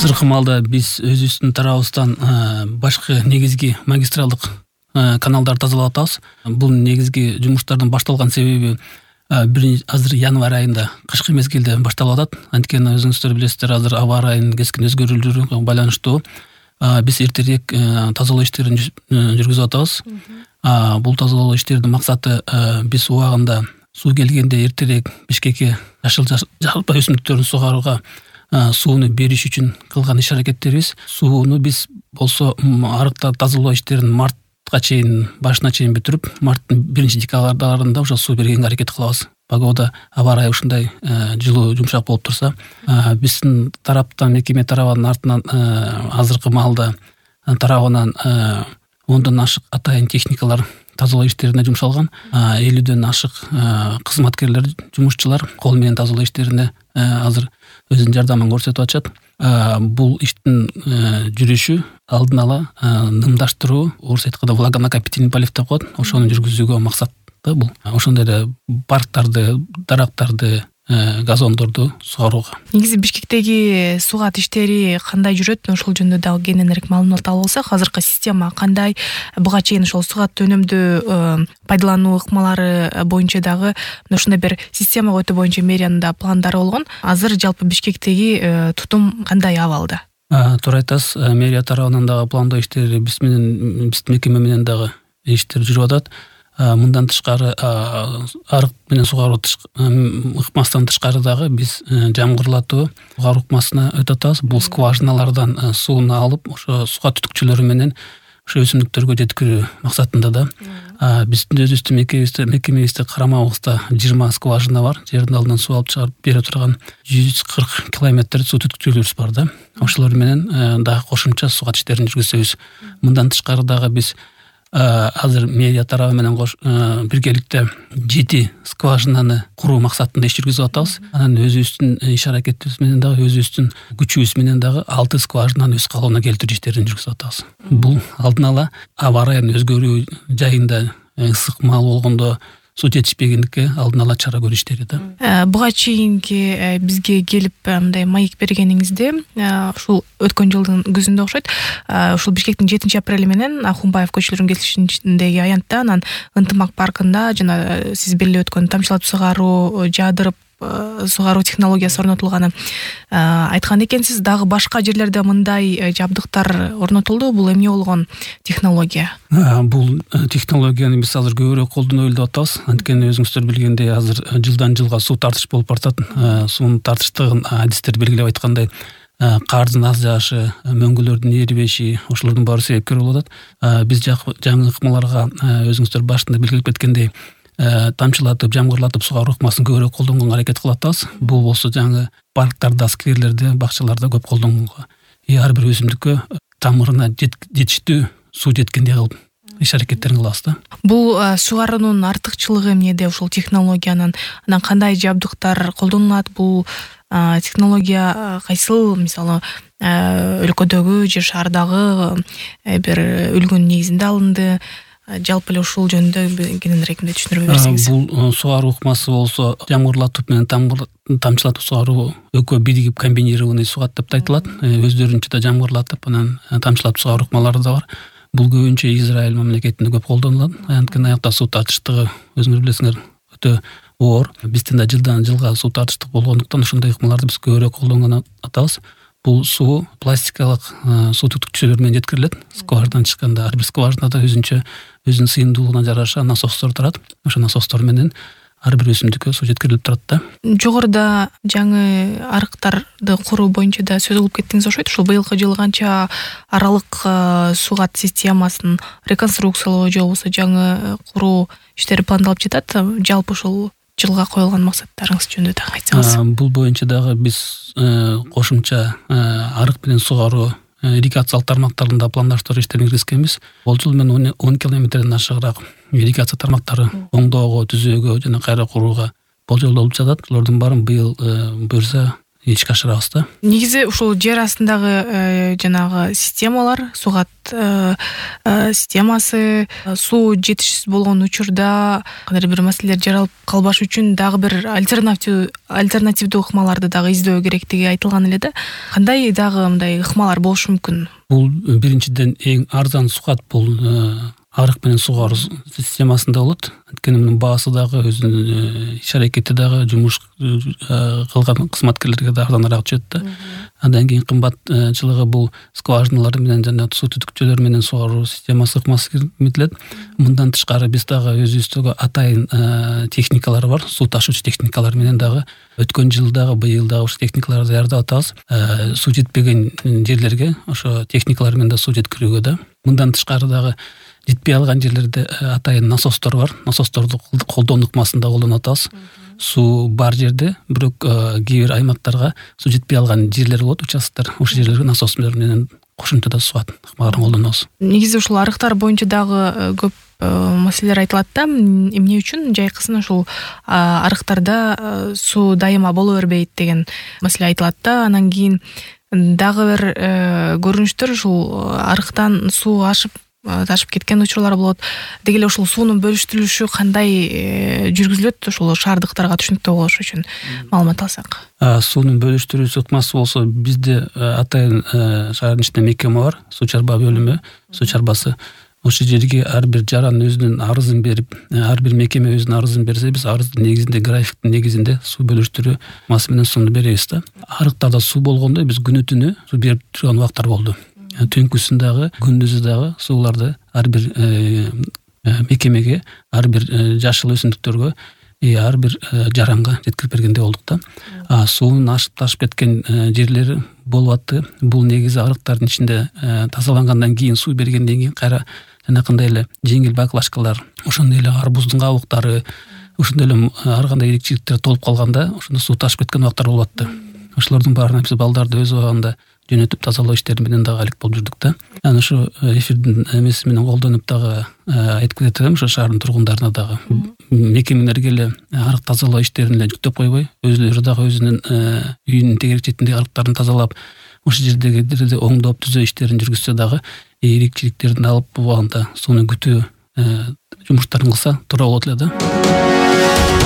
Азыркы маалда биз өзүбүздүн тарабыбыздан башкы негизги магистралдык каналдарды тазалап атабыз. Бул негизги жумуштардын башталган себеби азыр январь айында кышкы мезгилде башталып атат. Анткени өзүңүздөр билесиздер, азыр аба ырайынын кескин өзгөрүүлөрүгө байланыштуу биз эртерээк тазалоо иштерин жүргүзүп атабыз. Бул тазалоо иштеринин максаты биз убагында суу келгенде эртерээк Бишкекке жашыл жалпа өсүмдүктөрдүн сугарууга сууну бериш үчүн кылган иш-аракеттерибиз. Сууну биз болсо арыктар тазалоо иштерин мартка чейин, башына чейин бүтүрүп, марттын 1-декабрында ошо суу бергенге аракет кылабыз. Погода, аба ырайы ушундай жылуу, жумшак болуп турса, биздин тараптан, мекеме тарабынын артынан азыркы маалда тарабынан 10дон ашык атайын техникалар тазалоо иштерине жумшалган. 50дөн ашык кызматкерлер, жумушчулар кол менен тазалоо иштерине азыр өзүнүн жардамын көрсөтүп атышат. Бул иштин жүрүшү алдын ала нымдаштыруу, орус айтканда влагонакопительный полив деп коет. Ошону жүргүзүүгө максатты бул. Ошондой эле парктарды, дарактарды, газондорду сугарууга. Негизи Бишкектеги сугат иштери кандай жүрөт? Ошол жөнүндө дагы кененирээк маалымат алып алсак, азыркы система кандай? Буга чейин ошол сугат өнүмдүү пайдалануу ыкмалары боюнча дагы ушундай бир система өтүү боюнча мэриянын да пландары болгон. Азыр жалпы Бишкектеги тутум кандай абалда? Туура айтасыз. Мэрия тарабынан дагы пландоо иштери биздин мекеме менен дагы иштер жүрүп атат. Мындан тышкары арык менен сугаруу ыкмасынан тышкары дагы биз жамгырлатуу сугаруу ыкмасына өтүп атабыз. Бул скважиналардан сууну алып, ошо суга түтүкчөлөрү менен ошо өсүмдүктөргө жеткирүү максатында да. Биздин өзүбүздүн мекемебизде карамагыбызда 20 скважина бар. Жердин алдынан суу алып чыгарып бере турган 140 километр суу түтүкчөлөрүбүз бар да. Ошолор менен дагы кошумча сугат иштерин жүргүзөбүз. Мындан тышкары дагы биз азыр мэрия тарабы менен биргеликте 7 скважинаны куруу максатында иш жүргүзүп атабыз. Анан өзүбүздүн иш-аракетибиз менен дагы, өзүбүздүн күчүбүз менен дагы 6 скважинаны өз калыбына келтирүү иштерин жүргүзүп атабыз. Бул алдын ала аба ырайынын өзгөрүү жайында ысык маал болгондо суу жетишпегендикке алдын ала чара көрүү иштери да. Буга чейинки бизге келип мындай маек бергениңизде, ушул өткөн жылдын күзүндө окшойт, ушул Бишкектин 7-апрели менен Ахунбаев көчөлөрүнүн кесишиндеги аянтта, анан Ынтымак паркында жана сиз белгилеп өткөн тамчылатып сугаруу, жаадырып сугаруу технологиясы орнотулганын айткан экенсиз. Дагы башка жерлерде мындай жабдыктар орнотулду. Бул эмне болгон технология? Бул технологияны биз азыр көбүрөөк колдонобу деп атабыз. Анткени өзүңүздөр билгендей, азыр жылдан жылга суу тартыш болуп баратат. Суунун тартыштыгын адистер белгилеп айткандай, кардын аз жаашы, мөңгүлөрдүн эрибеши, ошолордун баары себепкер болуп атат. Биз жаңы ыкмаларга өзүңүздөр башында белгилеп кеткендей тамчылатып, жамгырлатып сугаруу ыкмасын көбүрөөк колдонгонго аракет кылып атабыз. Бул болсо жаңы парктарда, скверлерде, бакчаларда көп колдонгонго, ар бир өсүмдүккө тамырына жетиштүү суу жеткендей кылып иш-аракеттерин кылабыз да. Бул сугаруунун артыкчылыгы эмнеде ушул технологиянын? Анан кандай жабдыктар колдонулат? Бул технология кайсыл, мисалы, өлкөдөгү же шаардагы бир үлгүнүн негизинде алынды? Жалпы эле ушул жөнүндө кененирээк түшүндүрүп берсеңиз. Бул сугаруу ыкмасы болсо жамгырлатып менен тамчылатып сугаруу экөө биригип комбинированный сугат деп айтылат. Өздөрүнчө да жамгырлатып, анан тамчылатып сугаруу ыкмалары да бар. Бул көбүнчө Израиль мамлекетинде көп колдонулат. Анткени аякта суу тартыштыгы өзүңөр билесиңер өтө оор. Биздин да жылдан жылга суу тартыштык болгондуктан ошондой ыкмаларды биз көбүрөөк колдонгон атабыз. Бул суу пластикалык суу түтүкчөлөр менен жеткирилет. Скважинадан чыкканда ар бир скважинада өзүнүн сыйымдуулугуна жараша насостор турат. Ошо насостор менен ар бир өсүмдүккө суу жеткирилип турат да. Жогоруда жаңы арыктарды куруу боюнча да сөз кылып кеттиңиз окшойт. Ушул быйылкы жылы канча аралык сугат системасын реконструкциялоо же болбосо жаңы куруу иштери пландалып жатат? Жалпы ушул жылга коюлган максаттарыңыз жөнүндө да айтсаңыз. Бул боюнча дагы биз кошумча арык менен сугаруу ирригациялык тармактарында пландаштыруу иштерин киргизгенбиз. Болжол менен 10 километрден ашыгыраак ирригация тармактары оңдоого, түзөөгө жана кайра курууга болжолдолуп жатат. Алардын баарын быйыл буюрса ишке ашырабыз да. Негизи ушул жер астындагы жанагы системалар, сугат системасы, суу жетишсиз болгон учурда кандайдыр бир маселелер жаралып калбаш үчүн дагы бир альтернативдүү ыкмаларды дагы издөө керектиги айтылган эле да. Кандай дагы мындай ыкмалар болушу мүмкүн? Бул биринчиден эң арзан сугат бул арык менен сугаруу системасында болот. Анткени мунун баасы дагы өзүнүн иш аракети дагы жумуш кылган кызматкерлерге да арзаныраак түшөт да. Андан кийин кымбатчылыгы бул скважиналар менен жана суу түтүкчөлөр менен сугаруу системасы ыкмасы киргизилет. Мындан тышкары биз дагы өзүбүздөгү атайын техникалар бар. Суу ташуучу техникалар менен дагы өткөн жыл дагы быйыл дагы ошо техникаларды даярдап атабыз. Суу жетпеген жерлерге ошо техникалар менен да суу жеткирүүгө да. Мындан тышкары дагы жетпей алган жерлерде атайын насостор бар. Насосторду колдонуу ыкмасында колдонуп атабыз. Суу бар жерде, бирок кээ бир аймактарга суу жетпей алган жерлер болот, участоктор. Ошол жерлерге насостор менен кошумча сугат ыкмаларын колдонобуз. Негизи ушул арыктар боюнча дагы көп маселелер айтылат да. Эмне үчүн жайкысын ушул арыктарда суу дайыма боло бербейт деген маселе айтылат да. Анан кийин дагы бир көрүнүштөр ушул арыктан суу ташып кеткен учурлар болот. Деги эле ушул суунун бөлүштүрүлүшү кандай жүргүзүлөт? Ушул шаардыктарга түшүнүктүү болуш үчүн маалымат алсак. Суунун бөлүштүрүүчү ыкмасы болсо бизде атайын шаардын ичинде мекеме бар, суу чарба бөлүмү, суу чарбасы. Ошол жерге ар бир жаран өзүнүн арызын берип, ар бир мекеме өзүнүн арызын берсе, биз арыздын негизинде, графиктин негизинде суу бөлүштүрүү ыкмасы менен сууну беребиз да. Арыктарда суу болгондо биз күнү-түнү суу берип турган убактар болду. Түнкүсүн дагы, күндүзү дагы сууларды ар бир мекемеге, ар бир жашыл өсүмдүктөргө, ар бир жаранга жеткирип бергендей болдук да. Суунун ашып ташып кеткен жерлери болуп атты. Бул негизи арыктардын ичинде тазалангандан кийин, суу бергенден кийин кайра жанакындай эле жеңил баклажкалар, ошондой эле арбуздун кабыктары, ошондой эле ар кандай ирикчиликтер толуп калганда, ошондо суу ташып кеткен убактар болуп атты. Ошолордун баарына биз балдарды өз убагында жөнөтүп тазалоо иштери менен дагы алек болуп жүрдүк да. Анан ошо эфирдин эмеси менен колдонуп дагы айтып кетет элем, ошо шаардын тургундарына дагы мекемелерге эле арык тазалоо иштерин эле жүктөп койбой, өзүлөрү дагы өзүнүн үйүнүн тегерек четиндеги арыктарын тазалап, ошол жердегилерди оңдоп түзөө иштерин жүргүзсө дагы ирикчиликтерин алып убагында сууну күтүү жумуштарын кылса туура болот эле да.